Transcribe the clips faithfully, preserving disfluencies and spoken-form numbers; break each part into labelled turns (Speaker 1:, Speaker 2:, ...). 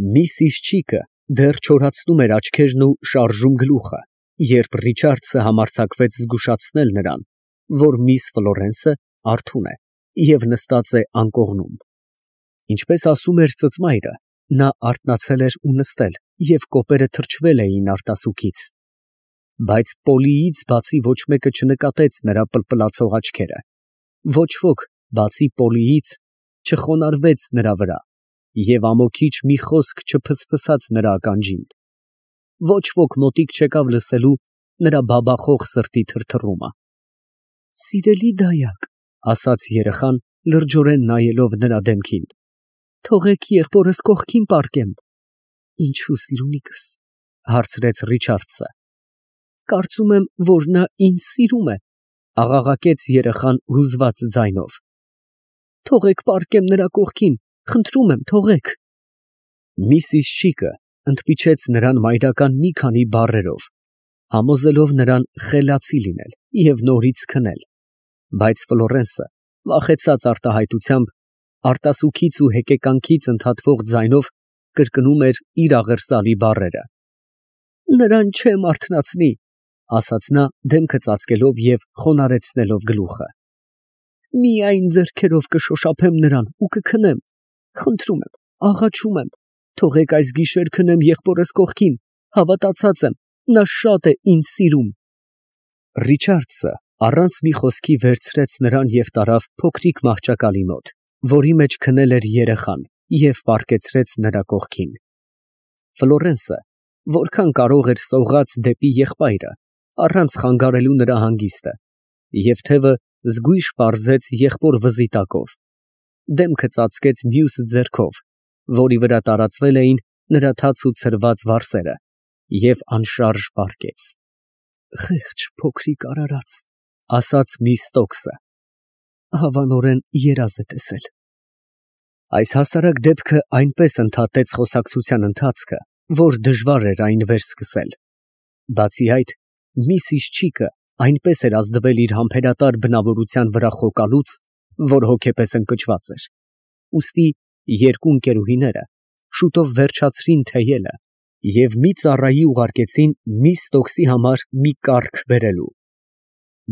Speaker 1: Միսիս Չիկը դեռ չորացնում էր աչքերն ու շարժում գլուխը, երբ Ռիչարդսը համարձակվեց զգուշացնել նրան, որ միս Ֆլորենսը արթուն է և նստած է անկողնում։ Ինչպես ասում էր ծծմայրը, նա արթնացել էր ու նստել, և կոպերը թրջվել էին արտասուքից։ Բայց Պոլիից բացի ոչ մեկը չնկատեց նրա պլպլացող աչքերը, ոչ ոք բացի Պոլիից չխոնարհվեց նրա վրա, և ամոքիչ մի խոսք չփսփսաց նրա ականջին, ոչ ոք մոտիկ չեկավ լսելու նրա բաբախող սրտի թրթռումը։ ֊ Սիրելի դայակ, ֊ ասաց երեխան, լրջորեն նայելով նրա դեմքին, ֊ թողեք եղբորս կողքին պառկեմ։ ֊ Ինչո՞ւ, սիրունիկս, ֊ հարցրեց Ռիչարդսը։ ֊ Կարծում եմ, որ նա ինձ սիրում է, ֊ աղաղակեց երեխան հուզված ձայնով։ ֊ Թողեք պառկեմ նրա կողքին, խնդրում եմ, թողեք։ Միսիս Չիկը ընդմիջեց նրան մայրական մի քանի բառերով, համոզելով նրան խելացի լինել և նորից քնել, բայց Ֆլորենսը վախեցած արտահայտությամբ, արտասուքից ու հեկեկանքից ընդհատվող ձայնով կրկնում էր իր աղերսալի բառերը։ Նրան չեմ արթնացնի, ֊ ասաց նա դեմքը ծածկելով և խոնարհեցնելով գլուխը։ Միայն ձեռքերով կշոշափեմ նրան ու կքնեմ, խնդրում եմ, աղաչում եմ, թողեք այս գիշեր քնեմ եղբորս կողքին, հավատացած եմ, նա շատ է ինձ սիրում։ Ռիչարդսը առանց մի խոսքի վերցրեց նրան և տարավ փոքրիկ մահճակալի մոտ, որի մեջ քնել էր երեխան, և պառկեցրեց նրա կողքին։ Ֆլորենսը որքան կարող էր սողաց դեպի եղբայրը, առանց խանգարելու նրա հանգիստը, և թևը զգույշ պարզեց եղբոր վզիտակով, դեմքը ծածկեց մյուս ձեռքով, որի վրա տարածվել էին նրա թաց ու ցրված վարսերը, և անշարժ պառկեց։ Խեղճ փոքրիկ արարած, ֊ ասաց միս Ստոքսը, ֊ հավանորեն երազ է տեսել։ Այս հասարակ դեպքը այնպես ընդհատեց խոսակցության ընթացքը, որ դժվար էր այն վերսկսել։ Բացի այդ, միսիս Չիկը այնպես էր ազդվել իր համբերատար բնավորության վրա խոկալուց, որ հոգեպես ընկճված էր, ուստի երկու ընկերուհիները շուտով վերջացրին թեյելը և մի ծառայի ուղարկեցին միս Ստոքսի համար մի կառք բերելու։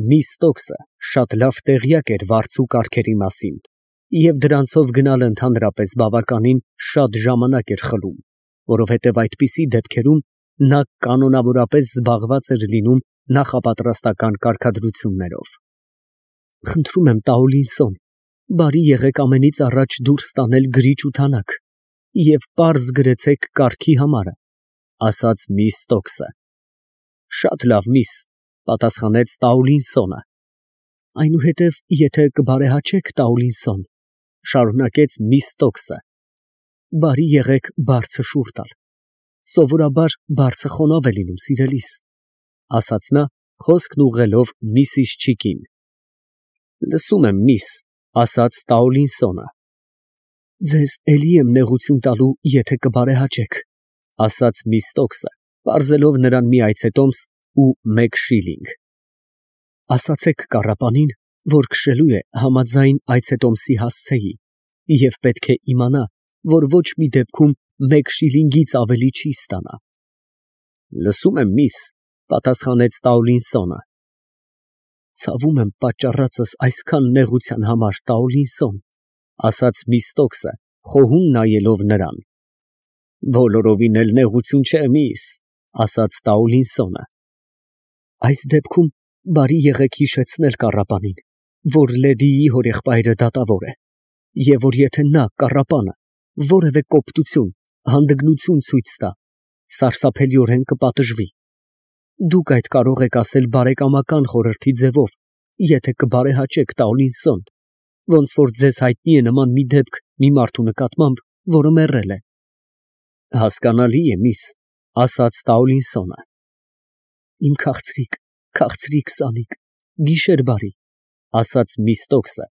Speaker 1: Միս Ստոքսը շատ լավ տեղյակ էր վարձու կառքերի մասին, և դրանցով գնալը ընդհանրապես բավականին շատ ժամանակ էր խլում, որովհետև այդպիսի դեպքերում նա կանոնավորապես զբաղված էր լինում նախապատրաստական կարգադրություններով։ Խնդրում եմ, Տաուլինսոն, բարի եղեք ամենից առաջ դուրս տանել գրիչ ու թանակ և պարզ գրեցեք կառքի համարը, ֊ ասաց միս Ստոքսը։ Շատ լավ, միս, ֊ պատասխանեց Տաուլինսոնը։ Այնուհետև, եթե կբարեհաճեք, Տաուլինսոն, ֊ շարունակեց միս Ստոքսը, ֊ բարի եղեք բարձը շուռ տալ, սովորաբար բարձը խոնավ է լինում, սիրելիս, ֊ ասաց նա, խոսքն ուղղելով միսիս Չիկին։ Լսում եմ, միս, ֊ ասաց Տաուլինսոնը։ Ձեզ էլի եմ նեղություն տալու, եթե կբարեհաճեք, ֊ ասաց միս Ստոքսը, պարզելով նրան մի այցետոմս ու մեկ շիլինգ։ Ասացեք կառապանին, որ քշելու է համաձայն այցետոմսի հասցեի, և պետք է իմանա, որ ոչ մի դեպքում մեկ շիլինգից ավելի չի ստանա։ Լսում եմ, միս, ֊ պատասխանեց Տաուլինսոնը։ Ցավում եմ պատճառածս այսքան նեղության համար, Տաուլինսոն, ֊ ասաց միս Ստոքսը, խոհում նայելով նրան։ Բոլորովին էլ նեղություն չէ, միս, ֊ ասաց Տաուլինսոնը։ Այս դեպքում բարի եղեք հիշեցնել կառապանին, որ լեդիի հորեղբայրը դատավոր է, և որ եթե նա, կառապանը, որևէ կոպտություն, հանդգնություն ցույց տա, սարսափելիորեն կպատժվի։ Դուք այդ կարող եք ասել բարեկամական խորհրդի ձևով, եթե կբարեհաճեք, Տաուլինսոն, ոնց որ ձեզ հայտնի է նման մի դեպք մի մարդու նկատմամբ, որը մեռել է։ Հասկանալի է, միս, ֊ ասաց Տաուլինսոնը։ Իմ քաղցրիկ, քաղցրիկ սանիկ, գիշեր բարի, ֊ ասաց միս Ստոքսը,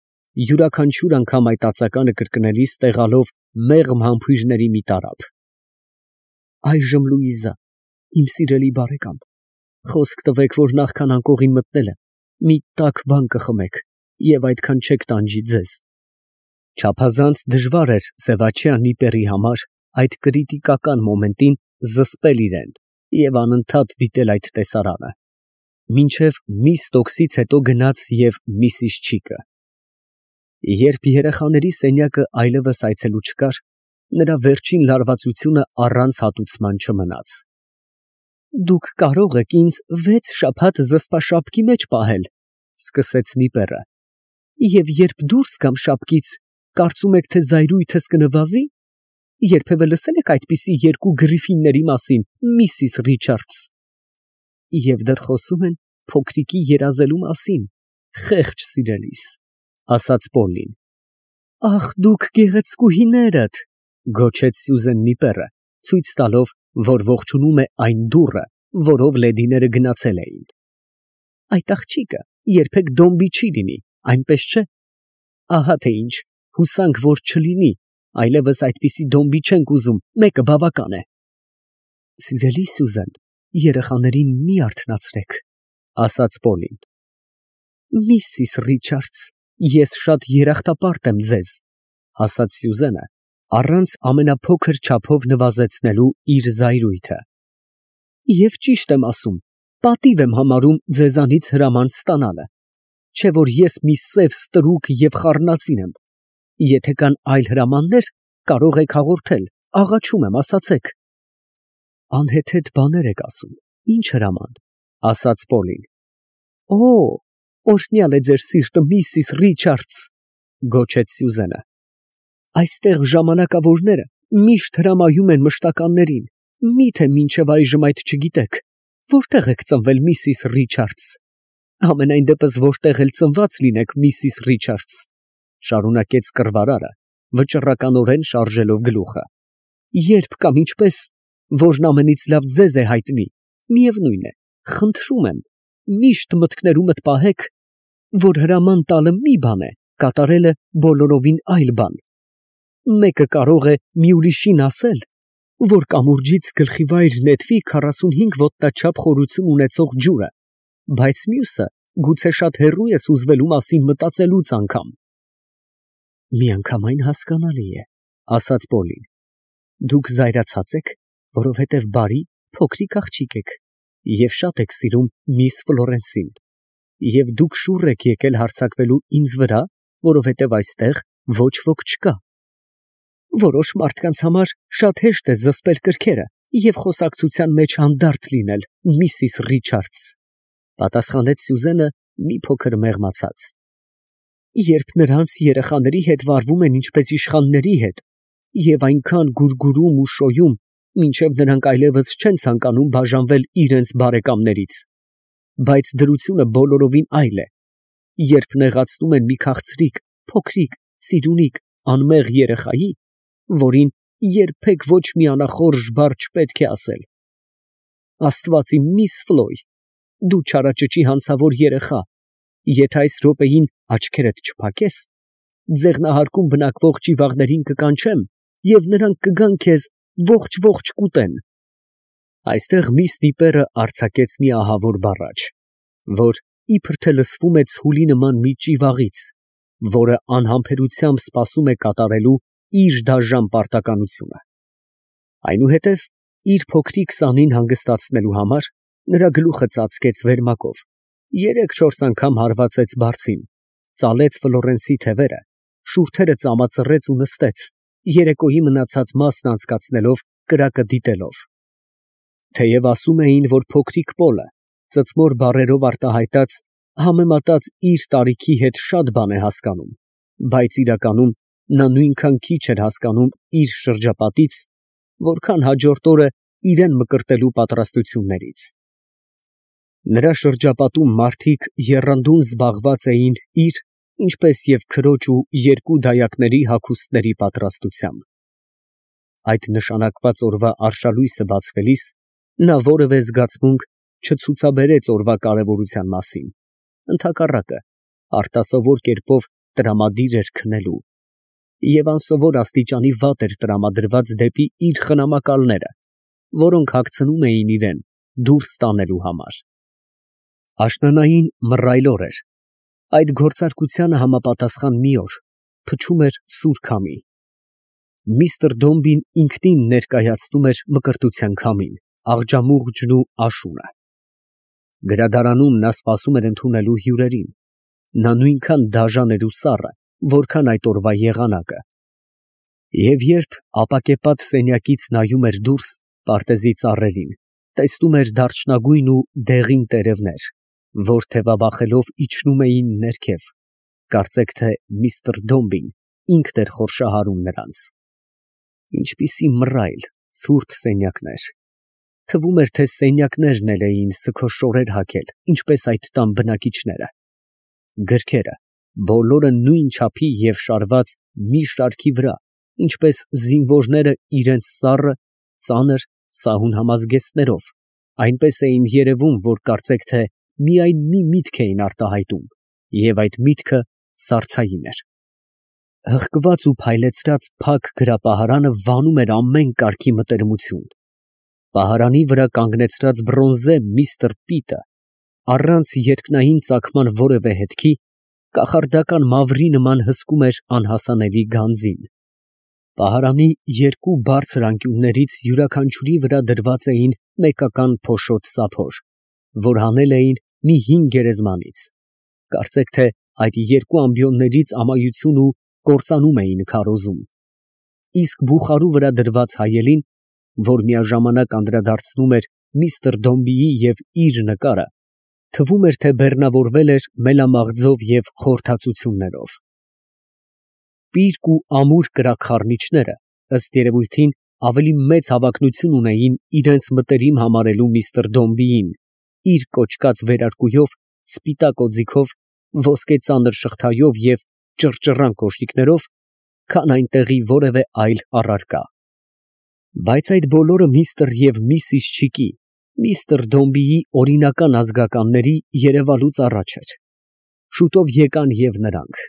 Speaker 1: յուրաքանչյուր անգամ այդ ածականը կրկնելիս տեղալով մեղմ համբույրների մի տարափ։ Այժմ, Լուիզա, իմ սիրելի բարեկամ, խոսք տվեք, որ նախքան անկողին մտնելը մի տաք բան կխմեք և այդքան չեք տանջի ձեզ։ Չափազանց դժվար էր Սևաչեա Նիպերի համար այդ կրիտիկական մոմենտին զսպել իրան և անընդհատ դիտել այդ տեսարանը, մինչև միս տոքսից հետո գնաց և միսիս Չիկը։ Երբ երեխաների սենյակը այլևս այցելու չկար, նրա վերջին լարվածությունը առանց հատուցման չմնաց։ «Դուք կարող եք ինձ վեց շաբաթ զսպաշապկի մեջ պահել, ֊ սկսեց Նիպերը, ֊ և երբ դուրս գամ շապկից, կարծում եք, թե զայրույթս կնվազի. երբևէ լսե՞լ եք այդպիսի երկու գրիֆինների մասին, միսիս Ռիչարդս։ Եվ դեռ խոսում են փոքրիկի երազելու մասին, խեղճ սիրելիս, ֊ ասաց Պոլլին։ Ախ, դուք գեղեցկուհիներդ, ֊ գոչեց Սյուզեն Նիպերը, ցույց տալով, որ ողջունում է այն դուռը, որով լեդիները գնացել էին։ Այդ աղջիկը երբեք դոմբի չի լինի, այնպես չէ։ Ահա թե ինչ, հուսանք, որ չլինի, այլևս այդպիսի դոմբի չենք ուզում, մեկը բավական է։ Սիրելի Սյուզեն, երեխաներին մի արթնացրեք, ֊ ասաց Պոլին։ Միսիս Ռիչարդս, ես շատ երախտապարտ եմ ձեզ, ֊ ասաց Սյուզենը, առանց ամենափոքր չափով նվազեցնելու իր զայրույթը։ Եվ ճիշտ եմ ասում, պատիվ եմ համարում ձեզանից հրաման ստանալը, չէ որ ես մի սև ստրուկ և խառնածին եմ։ Եթե կան այլ հրամաններ, կարող եք հաղորդել, աղաչում եմ, ասացեք։ Անհեթեթ բաներ եք ասում, ի՞նչ հրաման, ֊ ասաց Պոլին։ Օ, օրհնյալ է ձեր սիրտը, միսիս Ռիչարդս, ֊ գոչեց Սյուզենը։ Այստեղ ժամանակավորները միշտ հրամայում են մշտականներին, միթե մինչև այժմ այդ չգիտեք, որտե՞ղ եք ծնվել, միսիս Ռիչարդս։ Համենայն դեպս որտեղ էլ ծնված լինեք, միսիս Ռիչարդս, ֊ շարունակեց կռվարարը, վճռականորեն շարժելով գլուխը, երբ կամ ինչպես, որն ամենից լավ ձեզ է հայտնի, միևնույն է, խնդրում եմ, միշտ մտքներումդ պահեք, որ հրաման տալը մի բան է, կատարելը բոլորովին այլ բան։ Մեկը կարող է մի ուրիշին ասել, որ կամուրջից գլխիվայր նետվի քառասունհինգ ոտնաչափ խորություն ունեցող ջուրը, բայց մյուսը գուցե շատ հեռու ես ուզվելու մասին մտածելուց անգամ։ Միանգամայն հասկանալի է, ֊ ասաց Պոլին։ Դուք զայրացած եք, որովհետև բարի, փոքրիկ աղջիկ եք և շատ եք սիրում միս Ֆլորենսին, և դուք շուռ եք եկել հարձակվելու ինձ վրա, որովհետև այստեղ ոչ ոք չկա։ Որոշ մարդկանց համար շատ հեշտ է զսպել կրքերը և խոսակցության մեջ հանդարտ լինել, միսիս Ռիչարդս, ֊ պատասխանեց Սյուզենը մի փոքր մեղմացած։ Երբ նրանց երեխաների հետ վարվում են ինչպես իշխանների հետ և այնքան գուրգուրում ու շոյում, մինչև նրանք այլևս չեն ցանկանում բաժանվել իրենց բարեկամներից, բայց դրությունը բոլորովին այլ է, երբ նեղացնում են մի քաղցրիկ, փոքրիկ, սիրունիկ, անմեղ երեխայի, որին երբեք ոչ մի անախորժ բառ չպետք է ասել։ Աստված իմ, միս Ֆլոյ, դու չարաճճի հանցավոր երեխա, եթե այս րոպեին աչքերդ չփակես, ձեղնահարկում բնակվող ճիվաղներին կկանչեմ, և նրանք կգան քեզ ողջ֊ողջ կուտեն։ Այստեղ միս Նիպերը արձակեց մի ահավոր բառաչ, որ իբր թե լսվում է ցուլի նման մի ճիվաղից, որը անհամբերությամբ սպասում է կատարելու իր դաժան պարտականությունը։ Այնուհետև իր փոքրիկ սանին հանգստացնելու համար նրա գլուխը ծածկեց վերմակով, երեք֊չորս անգամ հարվածեց բարձին, ծալեց Ֆլորենսի թևերը, շուրթերը ծամածռեց ու նստեց, երեկոյի մնացած մասն անցկացնելով կրակը դիտելով։ Թեև ասում էին, որ փոքրիկ Պոլը, ծծմոր բառերով արտահայտած, համեմատած իր տարիքի հետ շատ բան է հասկանում, բայց իրականում նա նույնքան քիչ էր հասկանում իր շրջապատից, որքան հաջորդ օրը իրան մկրտելու պատրաստություններից։ Նրա շրջապատում մարդիկ եռանդուն զբաղված էին իր, ինչպես և քրոջ ու երկու դայակների հագուստների պատրաստությամբ։ Այդ նշանակված օրվա արշալույսը բացվելիս նա որևէ զգացմունք չցուցաբերեց օրվա կարևորության մասին, ընդհակառակը, արտասովոր կերպով տրամադիր էր քնելու և անսովոր աստիճանի վատ էր տրամադրված դեպի իր խնամակալները, որոնք հագցնում էին իրան դուրս տանելու համար։ Աշնանային մռայլ օր էր, այդ գործարկությանը համապատասխան մի օր, փչում էր սուր քամի։ Միստր Դոմբին ինքնին ներկայացնում էր մկրտության քամին, աղջամուղջն ու աշունը։ Գրադարանում նա սպասում էր ընդունելու հյուրերին. նա նույնքան դաժան էր ու սառը, որքան այդ օրվա եղանակը։ Եվ երբ ապակեպատ սենյակից նայում էր դուրս պարտեզի ծառերին, տեսնում էր դարչնագույն ու դեղին տերևներ, որ թևաբախելով իջնում էին ներքև, կարծեք թե միստր Դոմբին ինքն էր խորշահարում նրանց։ Ինչպիսի մռայլ, ցուրտ սենյակներ, թվում էր, թե սենյակներն էլ էին սգո շորեր հագել, ինչպես այդ տան բնակիչները։ Գրքերը բոլորը նույն չափի և շարված մի շարքի վրա, ինչպես զինվորները իրենց սառը, ծանր, սահուն համազգեստներով, այնպես էին երևում, որ կարծեք թե միայն մի միտք էին արտահայտում, և այդ միտքը սառցային էր։ Հղկված ու փայլեցրած փակ գրապահարանը վանում էր ամեն կարգի մտերմություն։ Պահարանի վրա կանգնեցրած բրոնզե միստր Պիտը, առանց երկնային ծագման որևէ հետքի, կախարդական մավրի նման հսկում էր անհասանելի գանձին։ Պահարանի երկու բարձր անկյուններից յուրաքանչյուրի վրա դրված էին մեկական փոշոտ սափոր, որ հանել էին մի հին գերեզմանից, կարծեք թե այդ երկու ամբիոններից ամայություն ու կործանում էին քարոզում, իսկ բուխարու վրա դրված հայելին, որ միաժամանակ անդրադարձնում էր միստր Դոմբիի և իր նկարը, թվում էր, թե բեռնավորվել էր մելամաղձով և խորթացություններով։ Պիրկ ու ամուր կրակխառնիչները, ըստ երևույթին, ավելի մեծ հավակնություն ունեին իրենց մտերիմ համարելու միստր Դոմբիին, իր կոճկած վերարկուով, սպիտակ օձիքով, ոսկե ծանր շղթայով և ճռճռան կոշիկներով, քան այնտեղի որևէ այլ առարկա։ Բայց այդ բոլորը միստր և միսիս Չիկի, միստր Դոմբիի օրինական ազգականների երևալուց առաջ էր։ Շուտով եկան և նրանք։